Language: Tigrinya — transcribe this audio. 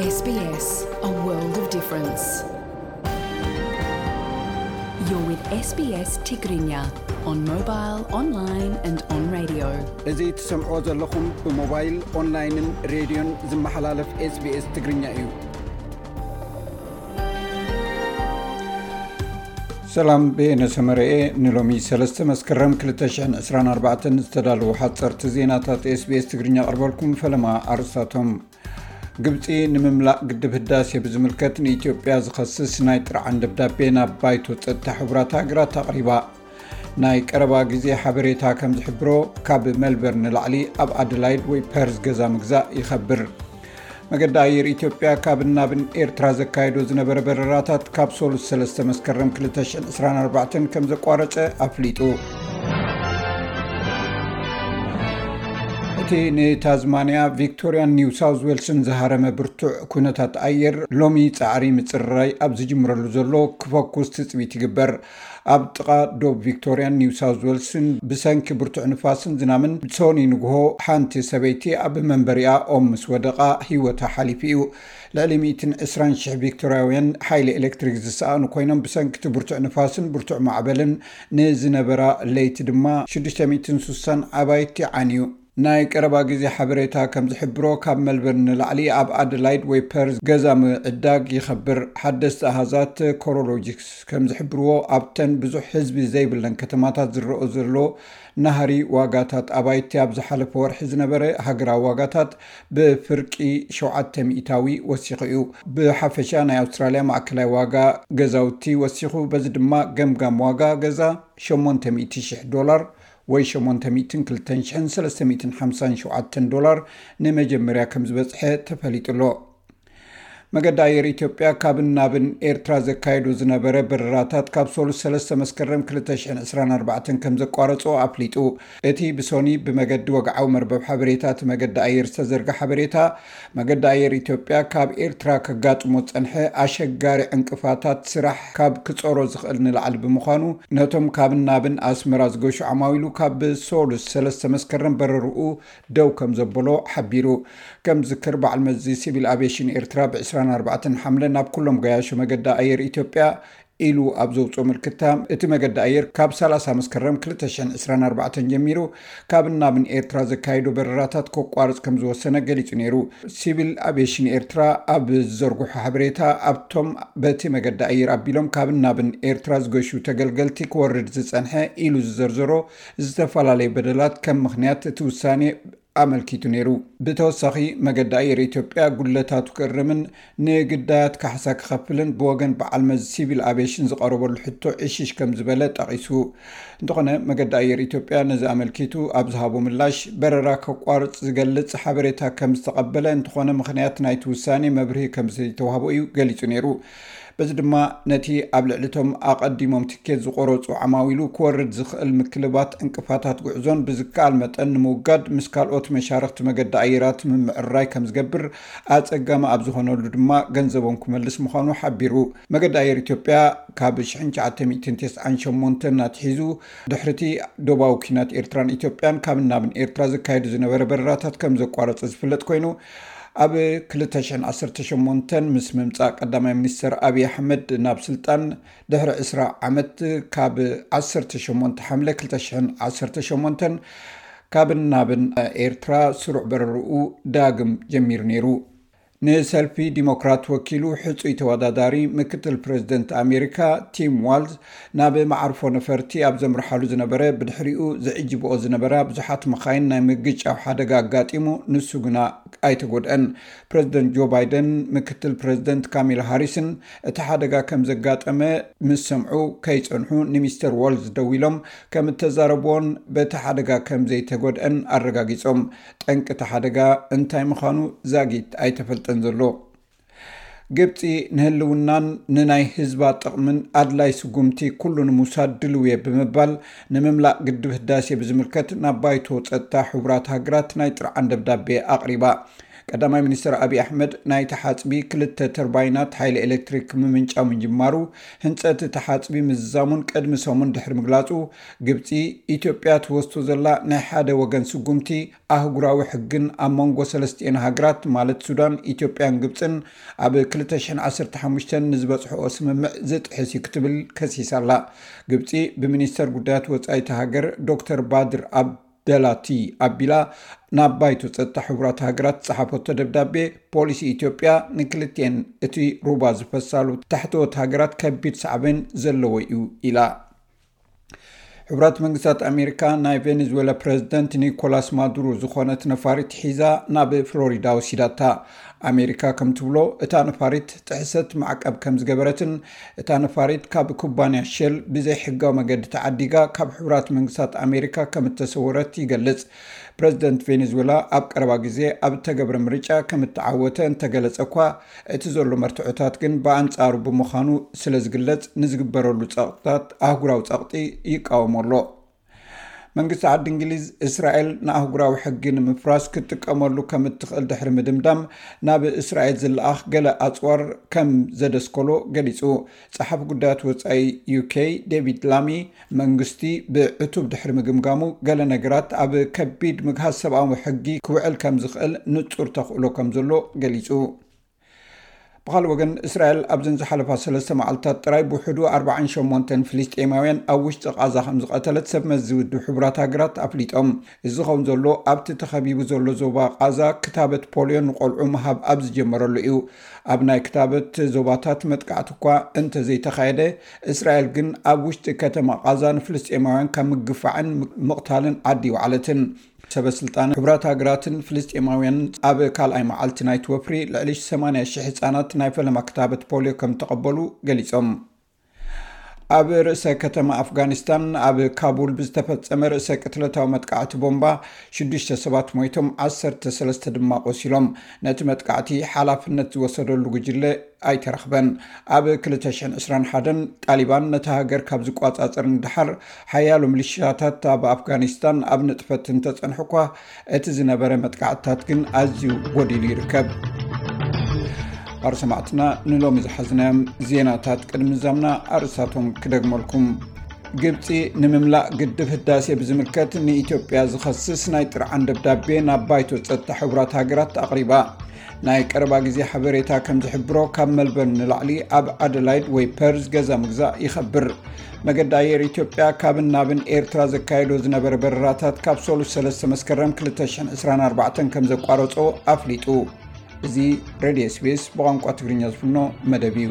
S B S, a world of difference. You're with S B S Tigrinya on mobile, online and on radio. እዚ ትሰምዕዎ ዘለኹም ብሞባይል፣ ኦንላይንን ሬድዮን ዝመሓላለፍ SBS ትግርኛ እዩ። ሰላም፣ በየነ ሰመረኤ። ንሎሚ ሰለስተ መስከረም ክልተ ሽሕን ዕስራን ኣርባዕተን ዝተዳለዉ ሓፀርቲ ዜናታት SBS ትግርኛ ኣቕርበልኩም። ፈለማ ኣርእስታቶም። ግብፂ ንምምላእ ግድብ ህዳሴ ብዝምልከት ንኢትዮጵያ ዝኸስስ ናይ ጥርዓን ደብዳቤ ናብ ባይቶ ጸጥታ ሕቡራት ሃገራት ኣቕሪባ። ናይ ቀረባ ግዜ ሓበሬታ ከም ዝሕብሮ፣ ካብ ሜልበርን ንላዕሊ ኣብ ኣደላይድ ወይ ፐርዝ ገዛ ምግዛእ ይኸብር። መገዲ ኣየር ኢትዮጵያ ካብን ናብን ኤርትራ ዘካየዶ ዝነበረ በረራታት ካብ ሶሉስ ሰለስተ መስከረም ክልተ ሽሕን ዕስራን ኣርባዕተን ከም ዘቋረጸ ኣፍሊጡ። እቲ ንታዝማንያ፣ ቪክቶሪያን ኒው ሳውዝ ዌልስን ዝሃረመ ብርቱዕ ኩነታት ኣየር ሎሚ ጻዕሪ ምጽርራይ ኣብ ዝጅምረሉ ዘሎ ክፈኩስ ትጽቢት ይግበር። ኣብ ጥቓ ዶብ ቪክቶሪያን ኒው ሳውዝ ዌልስን ብሰንኪ ብርቱዕ ንፋስን ዝናምን ብሶኒ ንግሆ ሓንቲ ሰበይቲ ኣብ መንበሪኣ ኦም ምስ ወደቓ ህይወታ ሓሊፉ እዩ። ልዕሊ ሚእትን ዕስራን ሽሕ ቪክቶርያውያን ሓይሊ ኤሌክትሪክ ዝሰኣኑ ኮይኖም፣ ብሰንኪ እቲ ብርቱዕ ንፋስን ብርቱዕ ማዕበልን ንዝነበራ ለይቲ ድማ ሽዱሽተ ሚእትን ስሳን ኣባይቲ ዓንዩ። ናይ ቀረባ ግዜ ሓበሬታ ከም ዝሕብሮ፣ ካብ መልበርን ንላዕሊ ኣብ ኣደላይድ ወይ ፐርዝ ገዛ ምዕዳግ ይኸብር። ሓደስቲ ኣሃዛት ኮሮሎጂክስ ከም ዝሕብርዎ፣ ኣብተን ብዙሕ ህዝቢ ዘይብለን ከተማታት ዝረኦ ዘሎ ናህሪ ዋጋታት ኣባይቲ ኣብ ዝሓለፈ ወርሒ ዝነበረ ሃገራዊ ዋጋታት ብፍርቂ ሸውዓተ ሚእታዊ ወሲኹ እዩ። ብሓፈሻ ናይ ኣውስትራልያ ማእከላይ ዋጋ ገዛውቲ ወሲኹ፣ በዚ ድማ ገምጋም ዋጋ ገዛ ሸሞንተ ሚእቲ ሽሕ ዶላር ወይ ሸሞንተ ሚእትን ክልተን ሽሕን ሰለስተ ሚእትን ሓምሳን ሸውዓተን ዶላር ንመጀመርያ ከም ዝበጽሐ ተፈሊጡ ኣሎ። መገዲ ኣየር ኢትዮጵያ ካብን ናብን ኤርትራ ዘካየዶ ዝነበረ በረራታት ካብ ሶሉስ ሰለስተ መስከረም ክልተ ሽሕን ዕስራን ኣርባዕተን ከም ዘቋረጾ ኣፍሊጡ። እቲ ብሶኒ ብመገዲ ወግዓዊ መርበብ ሓበሬታ እቲ መገዲ ኣየር ዝተዘርጋ ሓበሬታ፣ መገዲ ኣየር ኢትዮጵያ ካብ ኤርትራ ከጋጥሞ ዝጸንሐ ኣሸጋሪ ዕንቅፋታት ስራሕ ካብ ክጾሮ ዝኽእል ንላዕሊ ብምዃኑ፣ ነቶም ካብን ናብን ኣስመራ ዝገሹ ዓማዊሉ ካብ ሶሉስ ሰለስተ መስከረም በረርኡ ደው ከም ዘበሎ ሓቢሩ። ከም ዝክር፣ በዓል መዚ ሲቪል ኣቪዬሽን ኤርትራ ብዕስራን ኣርባዕተን ሓምለ ናብ ኩሎም ገያሾ መገዲ ኣየር ኢትዮጵያ ኢሉ ኣብ ዘውፅኦ ምልክታ፣ እቲ መገዲ ኣየር ካብ ሰላሳ መስከረም ክልተ ሽሕን ዕስራን ኣርባዕተን ጀሚሩ ካብን ናብን ኤርትራ ዘካየዶ በረራታት ከቋርፅ ከም ዝወሰነ ገሊፁ ነይሩ። ሲቪል ኣቪዬሽን ኤርትራ ኣብ ዝዘርግሖ ሓበሬታ፣ ኣብቶም በቲ መገዲ ኣየር ኣቢሎም ካብን ናብን ኤርትራ ዝገሹ ተገልገልቲ ክወርድ ዝጸንሐ ኢሉ ዝዘርዘሮ ዝተፈላለዩ በደላት ከም ምኽንያት እቲ ውሳኔ ኣመልኪቱ ነይሩ። ብተወሳኺ፣ መገዲ ኣየር ኢትዮጵያ ጉድለታቱ ክእርምን ንግዳያት ካሕሳ ክኸፍልን ብወገን በዓል መዚ ሲቪል ኣቪዬሽን ዝቐረበሉ ሕቶ ዕሽሽ ከም ዝበለ ጠቒሱ። እንተኾነ፣ መገዲ ኣየር ኢትዮጵያ ነዚ ኣመልኪቱ ኣብ ዝሃቦ ምላሽ፣ በረራ ከቋርጽ ዝገልጽ ሓበሬታ ከም ዝተቐበለ፣ እንተኾነ ምኽንያት ናይቲ ውሳኔ መብርሂ ከም ዘይተዋህቦ እዩ ገሊጹ ነይሩ። በዚ ድማ፣ ነቲ ኣብ ልዕሊ እቶም ኣቐዲሞም ትኬት ዝቖረጹ ዓማዊሉ ክወርድ ዝኽእል ምክልባት ዕንቅፋታት ጉዕዞን ብዝከኣል መጠን ንምውጋድ ምስ ካልኦት መሻርኽቲ መገዲ ኣየራት ምምዕርራይ ከም ዝገብር ኣጸጋሚ ኣብ ዝኾነሉ ድማ ገንዘቦም ክመልስ ምዃኑ ሓቢሩ። መገዲ ኣየር ኢትዮጵያ ካብ ሽሕን ትሽዓተ ሚእትን ተስዓን ሸሞንተን ኣትሒዙ ድሕሪቲ ዶባዊ ኲናት ኤርትራን ኢትዮጵያን ካብ ናብን ኤርትራ ዘካየዱ ዝነበረ በረራታት ከም ዘቋረጸ ዝፍለጥ ኮይኑ፣ ኣብ ክልተ ሽሕን ዓሰርተ ሸሞንተን ምስ ምምጻእ ቀዳማይ ሚኒስተር ኣብይ ኣሕመድ ናብ ስልጣን ድሕሪ ዕስራ ዓመት፣ ካብ ዓሰርተ ሸሞንተ ሓምለ ክልተ ሽሕን ዓሰርተ ሸሞንተን ካብን ናብን ኤርትራ ስሩዕ በረርኡ ዳግም ጀሚሩ ነይሩ። ንሰልፊ ዲሞክራት ወኪሉ ሕጹይ ተወዳዳሪ ምክትል ፕረዚደንት ኣሜሪካ ቲም ዋልዝ ናብ መዓርፎ ነፈርቲ ኣብ ዘምርሓሉ ዝነበረ፣ ብድሕሪኡ ዝዕጅብኦ ዝነበራ ብዙሓት መኻይን ናይ ምግጫው ሓደጋ ኣጋጢሙ፣ ንሱ ግና ኣይተጎድአን። ፕረዚደንት ጆ ባይደን ምክትል ፕረዚደንት ካሚላ ሃሪስን እቲ ሓደጋ ከም ዘጋጠመ ምስ ሰምዑ ከይጸንሑ ንሚስተር ዋልዝ ደዊሎም ከም እተዛረብዎን በቲ ሓደጋ ከም ዘይተጎድአን ኣረጋጊጾም። ጠንቂ እቲ ሓደጋ እንታይ ምዃኑ ዛጊት ኣይተፈልጠን ዘሎ። ግብጺ ንህልውናን ንናይ ህዝባ ጥቕምን ኣድላይ ስጉምቲ ኩሉ ንምውሳድ ድልው እየ ብምባል፣ ንምምላእ ግድብ ህዳሴ ብዝምልከት ናብ ባይቶ ጸጥታ ሕቡራት ሃገራት ናይ ጥርዓን ደብዳቤ ኣቕሪባ። ቀዳማይ ሚኒስትር ኣብይ ኣሕመድ፣ ናይቲ ሓጽቢ ክልተ ተርባይናት ሓይሊ ኤሌክትሪክ ምምንጫው ምጅማሩ፣ ህንጸት እቲ ሓጽቢ ምዝዛሙን ቅድሚ ሰሙን ድሕሪ ምግላጹ፣ ግብጺ፣ ኢትዮጵያ ትወስዶ ዘላ ናይ ሓደ ወገን ስጉምቲ ኣህጉራዊ ሕግን ኣብ መንጎ ሰለስቲኤን ሃገራት ማለት ሱዳን፣ ኢትዮጵያን ግብጽን ኣብ ክልተ ሽሕን ዓሰርተ ሓሙሽተን ንዝበጽሕኦ ስምምዕ ዝጥሕስ እዩ ክትብል ከሲሳ ኣላ። ግብጺ ብሚኒስተር ጉዳያት ወጻኢቲ ሃገር ዶክተር ባድር ኣብ ደላቲ ኣቢላ ናብ ባይቶ ጸጥታ ሕቡራት ሃገራት ዝጸሓፈቶ ደብዳቤ፣ ፖሊሲ ኢትዮጵያ ንክልቲኤን እቲ ሩባ ዝፈሳሉ ታሕተዎት ሃገራት ከቢድ ሳዕቤን ዘለዎ እዩ ኢላ። ሕቡራት መንግስታት ኣሜሪካ ናይ ቬኔዙዌላ ፕረዚደንት ኒኮላስ ማዱሮ ዝኾነት ነፋሪት ሒዛ ናብ ፍሎሪዳ ወሲዳታ። ኣሜሪካ ከም ትብሎ፣ እታ ነፋሪት ጥሕሰት ማዕቀብ ከም ዝገበረትን እታ ነፋሪት ካብ ኩባንያ ሼል ብዘይሕጋዊ መገዲ ተዓዲጋ ካብ ሕቡራት መንግስታት ኣሜሪካ ከም እተሰወረት ይገልጽ። ፕረዚደንት ቬኔዙዌላ ኣብ ቀረባ ግዜ ኣብ እተገብረ ምርጫ ከም እተዓወተ እንተገለጸ እኳ፣ እቲ ዘሎ መርትዖታት ግን ብኣንጻሩ ብምዃኑ ስለ ዝግለጽ፣ ንዝግበረሉ ጸቕጥታት ኣህጉራዊ ጸቕጢ ይቃወሞ ኣሎ። መንግስቲ ዓዲ እንግሊዝ፣ እስራኤል ንኣህጉራዊ ሕጊ ንምፍራስ ክትጥቀመሉ ከም እትኽእል ድሕሪ ምድምዳም፣ ናብ እስራኤል ዝለኣኽ ገለ ኣጽዋር ከም ዘደስከሎ ገሊጹ። ጸሓፊ ጉዳያት ወጻኢ ዩኬ ዴቪድ ላሚ፣ መንግስቲ ብዕቱብ ድሕሪ ምግምጋሙ፣ ገለ ነገራት ኣብ ከቢድ ምግሃስ ሰብኣዊ ሕጊ ክውዕል ከም ዝኽእል ንጹር ተኽእሎ ከም ዘሎ ገሊጹ። ብኻልእ ወገን፣ እስራኤል ኣብዘን ዝሓለፋ ሰለስተ መዓልታት ጥራይ ብውሕዱ ኣርባዓን ሸሞንተን ፍልስጤማውያን ኣብ ውሽጢ ቓዛ ከም ዝቐተለት ሰብ መዚ ውድብ ሕቡራት ሃገራት ኣፍሊጦም። እዚ ዝኸውን ዘሎ፣ ኣብቲ ተኸቢቡ ዘሎ ዞባ ቓዛ ክታበት ፖልዮ ንቆልዑ ምሃብ ኣብ ዝጀመረሉ እዩ። ኣብ ናይ ክታበት ዞባታት መጥቃዕቲ እኳ እንተዘይተኻየደ፣ እስራኤል ግን ኣብ ውሽጢ ከተማ ቓዛ ንፍልስጤማውያን ካብ ምግፋዕን ምቕታልን ዓዲ ይወዓለትን። ሰበ ስልጣን ሕቡራት ሃገራትን ፍልስጤማውያንን ኣብ ካልኣይ መዓልቲ ናይቲ ወፍሪ፣ ልዕሊ ሰማንያ ሽሕ ህጻናት ናይ ፈለማ ክታበት ፖልዮ ከም ተቐበሉ ገሊጾም። ኣብ ርእሰ ከተማ ኣፍጋኒስታን፣ ኣብ ካቡል ብዝተፈጸመ ርእሰ ቅትለታዊ መጥቃዕቲ ቦምባ፣ ሽዱሽተ ሰባት ሞይቶም፣ ዓሰርተ ሰለስተ ድማ ቆሲሎም። ነቲ መጥቃዕቲ ሓላፍነት ዝወሰደሉ ጉጅለ ኣይተረኽበን። ኣብ ክልተ ሽሕን ዕስራን ሓደን፣ ጣሊባን ነታ ሃገር ካብ ዝቆጻጸር ንደሓር፣ ሓያሎ ሚሊሻታት ኣብ ኣፍጋኒስታን ኣብ ንጥፈት እንተጸንሑ እኳ፣ እቲ ዝነበረ መጥቃዕትታት ግን ኣዝዩ ጎዲሉ ይርከብ። ኣሩ ሰማዕትና፣ ንሎሚ ዝሓዝናዮም ዜናታት ቅድሚ ምዛምና፣ ኣርእስታቶም ክደግመልኩም። ግብጺ፣ ንምምላእ ግድብ ህዳሴ ብዝምልከት ንኢትዮጵያ ዝኸስስ ናይ ጥርዓን ደብዳቤ ናብ ባይቶ ጸጥታ ሕቡራት ሃገራት ኣቕሪባ። ናይ ቀረባ ግዜ ሓበሬታ ከም ዝሕብሮ፣ ካብ መልበርን ንላዕሊ ኣብ ኣደላይድ ወይ ፐርዝ ገዛ ምግዛእ ይኸብር። መገዲ ኣየር ኢትዮጵያ፣ ካብን ናብን ኤርትራ ዘካየዶ ዝነበረ በረራታት፣ ካብ ሰሉስ ሰለስተ መስከረም ክልተ ሽሕን ዕስራን ኣርባዕተን ከም ዘቋረጾ ኣፍሊጡ። እዚ ሬድዮ ኤስ ቢ ኤስ ብቋንቋ ትግርኛ ዝፍኖ መደብ እዩ።